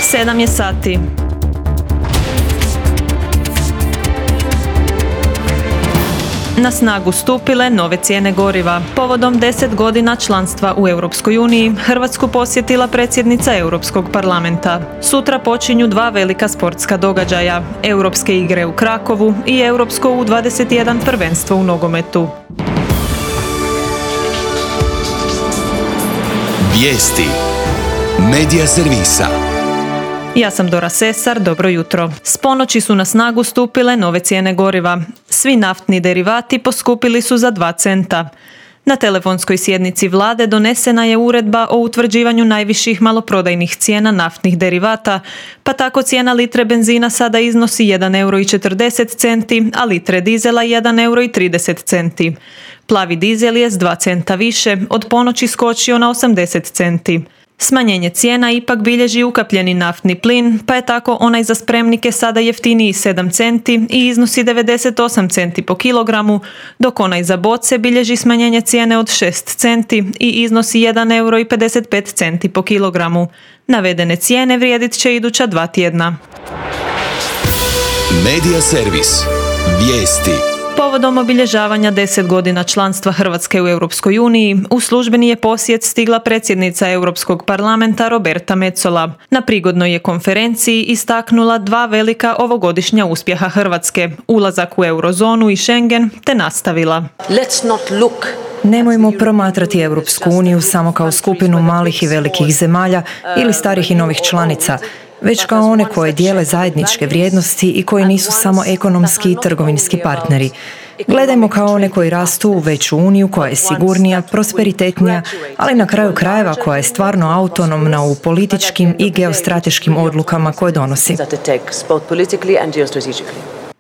7 je sati. Na snagu stupile nove cijene goriva. Povodom 10 godina članstva u Europskoj uniji, Hrvatsku posjetila predsjednica Europskog parlamenta. Sutra počinju 2 velika sportska događaja, Europske igre u Krakovu i Europsko U21 prvenstvo u nogometu. Vijesti Medija servisa. Ja sam Dora Sesar, dobro jutro. S ponoći su na snagu stupile nove cijene goriva. Svi naftni derivati poskupili su za 2 centa. Na telefonskoj sjednici vlade donesena je uredba o utvrđivanju najviših maloprodajnih cijena naftnih derivata, pa tako cijena litre benzina sada iznosi 1,40 euro, a litre dizela 1,30 euro. Plavi dizel je s 2 centa više od ponoći skočio na 80 centi. Smanjenje cijena ipak bilježi ukapljeni naftni plin, pa je tako onaj za spremnike sada jeftiniji 7 centi i iznosi 98 centi po kilogramu, dok onaj za boce bilježi smanjenje cijene od 6 centi i iznosi 1,55 euro po kilogramu. Navedene cijene vrijedit će iduća 2 tjedna. Medija servis. Vijesti. Povodom obilježavanja 10 godina članstva Hrvatske u Europskoj uniji, u službeni je posjet stigla predsjednica Europskog parlamenta Roberta Metsola. Na prigodnoj je konferenciji istaknula 2 velika ovogodišnja uspjeha Hrvatske, ulazak u eurozonu i Schengen, te nastavila. Nemojmo promatrati Europsku uniju samo kao skupinu malih i velikih zemalja ili starih i novih članica, već kao one koje dijele zajedničke vrijednosti i koji nisu samo ekonomski i trgovinski partneri. Gledajmo kao one koji rastu u veću uniju koja je sigurnija, prosperitetnija, ali na kraju krajeva koja je stvarno autonomna u političkim i geostrateškim odlukama koje donosi.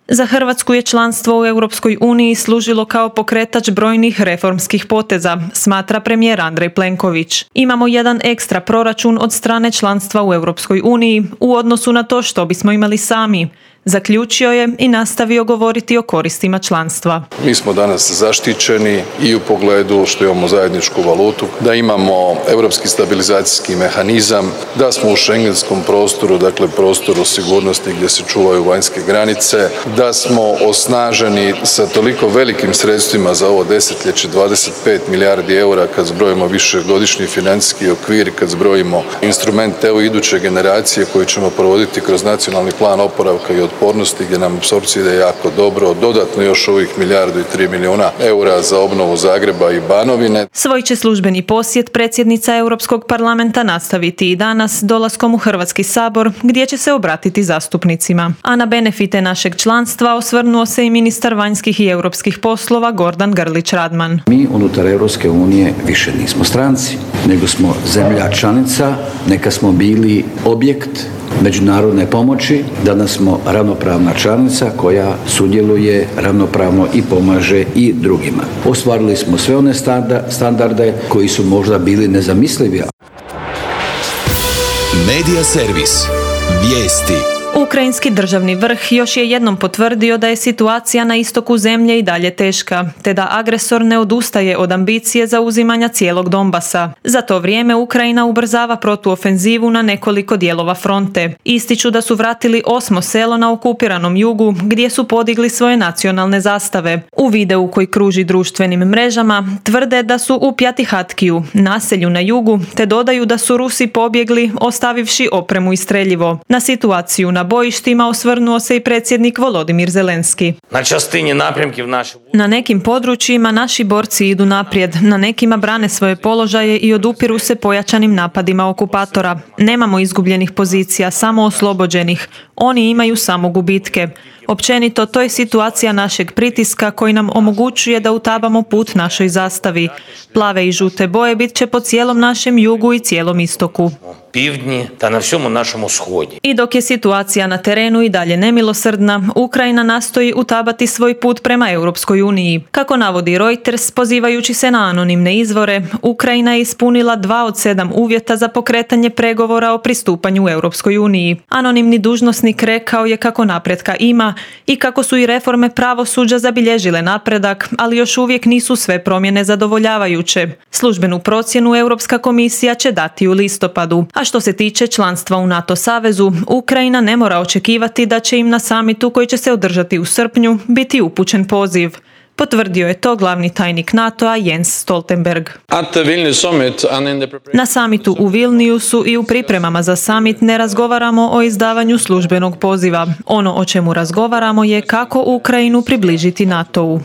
Za Hrvatsku je članstvo u Europskoj uniji služilo kao pokretač brojnih reformskih poteza, smatra premijer Andrej Plenković. Imamo jedan ekstra proračun od strane članstva u Europskoj uniji u odnosu na to što bismo imali sami. Zaključio je i nastavio govoriti o koristima članstva. Mi smo danas zaštićeni i u pogledu što imamo zajedničku valutu, da imamo europski stabilizacijski mehanizam, da smo u schengenskom prostoru, dakle prostoru sigurnosti gdje se čuvaju vanjske granice, da smo osnaženi sa toliko velikim sredstvima za ovo desetljeće, 25 milijardi eura kad zbrojimo višegodišnji financijski okvir, kad zbrojimo instrument EU iduće generacije koji ćemo provoditi kroz nacionalni plan oporavka i otpornosti gdje nam apsorpcija ide jako dobro, dodatno još ovih 1,3 milijarde eura za obnovu Zagreba i Banovine. Svoj će službeni posjet predsjednica Europskog parlamenta nastaviti i danas dolaskom u Hrvatski sabor gdje će se obratiti zastupnicima. A na benefite našeg članstva osvrnuo se i ministar vanjskih i europskih poslova Gordan Grlić Radman. Mi unutar Europske unije više nismo stranci, nego smo zemlja članica, neka smo bili objekt međunarodne pomoći, danas smo ravnopravna članica koja sudjeluje ravnopravno i pomaže i drugima. Ostvarili smo sve one standarde koji su možda bili nezamislivi. Medija servis. Vijesti. Ukrajinski državni vrh još je jednom potvrdio da je situacija na istoku zemlje i dalje teška, te da agresor ne odustaje od ambicije zauzimanja cijelog Donbasa. Za to vrijeme Ukrajina ubrzava protuofenzivu na nekoliko dijelova fronte. Ističu da su vratili 8. selo na okupiranom jugu, gdje su podigli svoje nacionalne zastave. U videu koji kruži društvenim mrežama tvrde da su u Pjatihatkiju, naselju na jugu, te dodaju da su Rusi pobjegli ostavivši opremu i streljivo. Na situaciju na bojištima osvrnuo se i predsjednik Volodimir Zelenski. Na nekim područjima naši borci idu naprijed, na nekima brane svoje položaje i odupiru se pojačanim napadima okupatora. Nemamo izgubljenih pozicija, samo oslobođenih. Oni imaju samo gubitke. Općenito, to je situacija našeg pritiska koji nam omogućuje da utabamo put našoj zastavi. Plave i žute boje bit će po cijelom našem jugu i cijelom istoku. I dok je situacija na terenu i dalje nemilosrdna, Ukrajina nastoji utabati svoj put prema Europskoj uniji. Kako navodi Reuters, pozivajući se na anonimne izvore, Ukrajina je ispunila 2 od 7 uvjeta za pokretanje pregovora o pristupanju Europskoj uniji. Anonimni dužnosnik rekao je kako napretka ima i kako su i reforme pravosuđa zabilježile napredak, ali još uvijek nisu sve promjene zadovoljavajuće. Službenu procjenu Europska komisija će dati u listopadu. A što se tiče članstva u NATO savezu, Ukrajina ne mora očekivati da će im na samitu koji će se održati u srpnju biti upućen poziv. Potvrdio je to glavni tajnik NATO-a Jens Stoltenberg. Na samitu u Vilniusu i u pripremama za samit ne razgovaramo o izdavanju službenog poziva. Ono o čemu razgovaramo je kako Ukrajinu približiti NATO-u.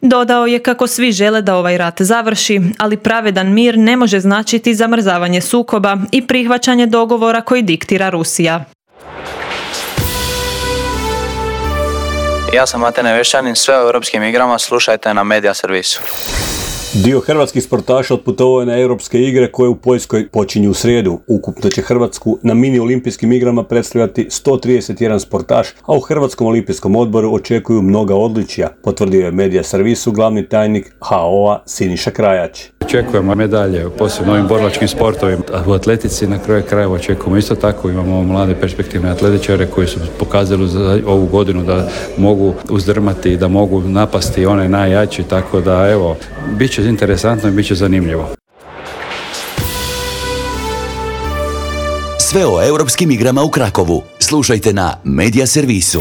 Dodao je kako svi žele da ovaj rat završi, ali pravedan mir ne može značiti zamrzavanje sukoba i prihvaćanje dogovora koji diktira Rusija. Ja sam Matej Nevešćanin, sve o europskim igrama slušajte na Media servisu. Dio hrvatskih sportaša otputovao je na europske igre koje u Poljskoj počinju u srijedu. Ukupno će Hrvatsku na mini olimpijskim igrama predstavljati 131 sportaš, a u Hrvatskom olimpijskom odboru očekuju mnoga odličja, potvrdio je Media servisu glavni tajnik HO-a Siniša Krajač. Očekujemo medalje, posebno ovim borilačkim sportovima. U atletici na kraju krajeva očekujemo isto tako. Imamo mlade perspektivne atletičare koji su pokazali za ovu godinu da mogu uzdrmati i da mogu napasti one najjači, tako da evo, bit će interesantno i bit će zanimljivo. Sve o europskim igrama u Krakovu slušajte na Media servisu.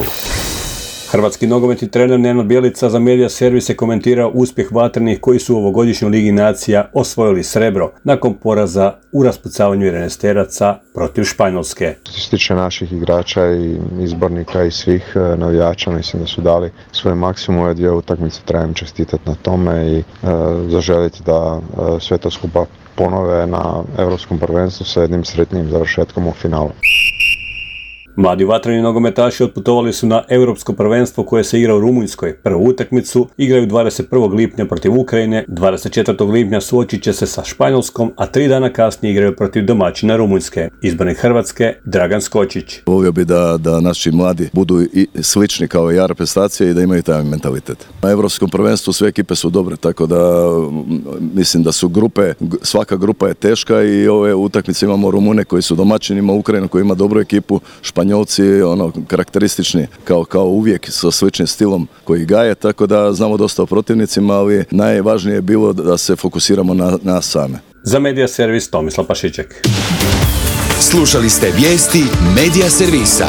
Hrvatski nogometni trener Nenad Bjelica za Media servis je komentirao uspjeh vatrenih koji su u ovogodišnjoj Ligi nacija osvojili srebro nakon poraza u raspucavanju 11-teraca protiv Španjolske. Što se tiče naših igrača i izbornika i svih navijača, mislim da su dali svoj maksimum ove dvije utakmice, trebam čestitati na tome i zaželiti da sve to skupa ponove na Europskom prvenstvu sa jednim sretnim završetkom u finalu. Mladi vatreni nogometaši otputovali su na Europsko prvenstvo koje se igra u Rumunjskoj. Prvu utakmicu igraju 21. lipnja protiv Ukrajine, 24. lipnja suočit će se sa Španjolskom, a 3 dana kasnije igraju protiv domaćina Rumunjske. Izbornik Hrvatske Dragan Skočić. Volio bi da naši mladi budu i slični kao i reprezentacije i da imaju taj mentalitet. Na Europskom prvenstvu sve ekipe su dobre, tako da mislim da su grupe, svaka grupa je teška i ove utakmice imamo Rumune koji su domaćini, ima Ukrajinu koji ima dobru ekipu, Španjolci karakteristični kao uvijek sa sličnim stilom koji gaje, tako da znamo dosta o protivnicima, ali najvažnije je bilo da se fokusiramo na nas same. Za Media servis Tomislav Pašiček. Slušali ste vijesti Media servisa.